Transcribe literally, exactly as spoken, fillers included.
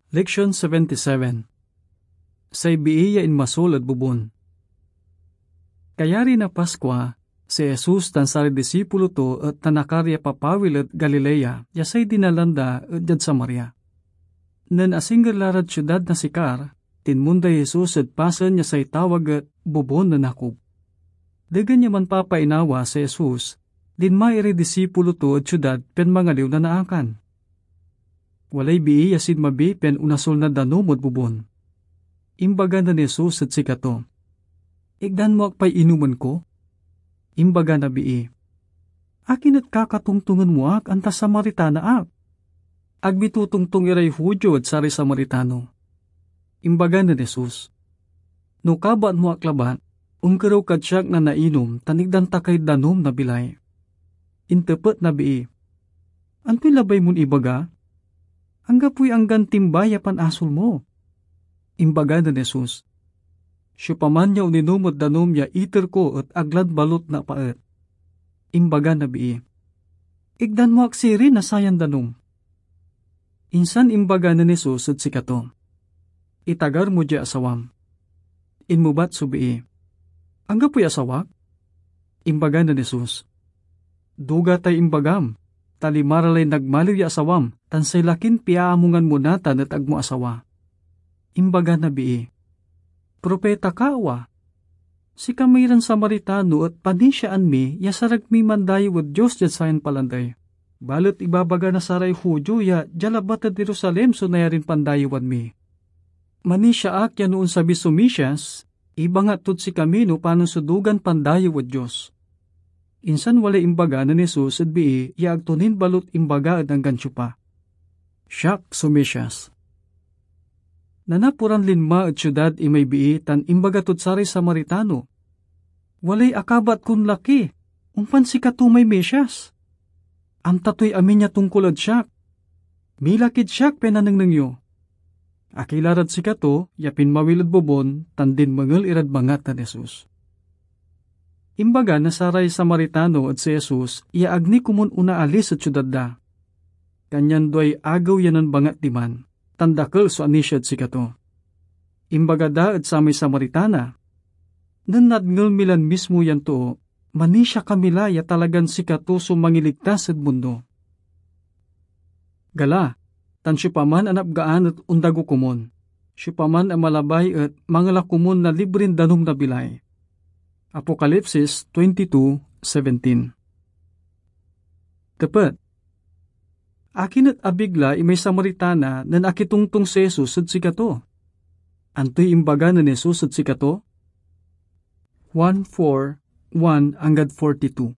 Leksion seventy-seven. Say bii ya inmasol ed bobon. Kayari na Paskua, si Jesus tan saray disipulo to et nanakar ya papawil ed Galilea, ya say dinalan da et diad Samaria. Nen asingger la rad siudad na Sicar, tinmonday Jesus ed pasen ya say tawag et Bobon nen Jacob. Degen ya manpapainawa si Jesus, linma iray disipulo to ed siudad pian mangaliw na naakan. Walay bii ya sinmabi pian onasol na danum ed bobon. Imbaga nen Jesus ed sikato, "Ikdan mo ak pay inomen ko?" Imbaga na bii, "Akin et kakatongtongen mo ak, anta Samaritana ak? Agmi totongtong iray Judio ed saray Samaritano." Imbaga nen Jesus, "No kabat mo ak labat, onkerew kad siak na nainom tan ikdan ta kay danum na bilay." Intepet na bii, "Antoy labay mon ibaga? Anggapoy anggan timba ya panasol mo." Imbaga nen Jesus, "Siopaman ya oninom ed danum ya iter ko et ag lad balut napaet." Imbaga na bii, "Ikdan mo ak sirin na sayan danum." Insan imbaga nen Jesus ed sikato, "Itagar mo diay asawam." Inmebat so bii, "Anggapoy asawak?" Imbaga nen Jesus, "Duga tay imbagam, ta lima ra lay nagmaliw ya asawam, tan say lakin piaamungan mo natan et ag mo asawa." Imbaga na bii, "Propita ka, awa? Sikami ran Samaritano et panisiaan mi ya sarag miy mandayew ed Dios diad sayan palandey. Balet ibabaga na saray Judio ya dia labat ed Jerusalem so nayarin pandayewan mi. Manisia ak ya no onsabi so Mesias, ibangat tod sikami no panon so dugan pandayew ed Dios." Insan walay imbaga nen Jesus ed bii ya ag to nin balut imbaga ed anggan siopa, "Siak so Mesias." Nanaporan linma ed siudad imay bii tan imbaga tod saray Samaritano, "Walay akabat kon laki, ompan sikato may Mesias. Amta toy amin ya tongkol ed siak. Milakid siak pian nanengneng yo." Akila rad sikato ya pinmawil ed bobon tan dinmengel irad bangat nen Jesus. Imbaga na saray Samaritano ed si Jesus ya ag ni komun onaalis ed siudad da. Kanyan duay agew ya nanbangat diman, tan dakel so anisiad sikato. Imbaga da ed samay Samaritana, "Nen nadngel mi lan mismo yan too, manisia kami la ya talagan sikato so Mangiligtas ed mundo. Gala, tan siopaman a napgaan et ondago komun. Siopaman a malabay et mangala komun na librin danum na bilay." Apokalipsis twenty-two seventeen. Tepet, akin et abig la imay Samaritana nen akitongtong si Jesus ed sikato? Antoy imbaga nen Jesus ed sikato? Juan four, one anggad forty-two.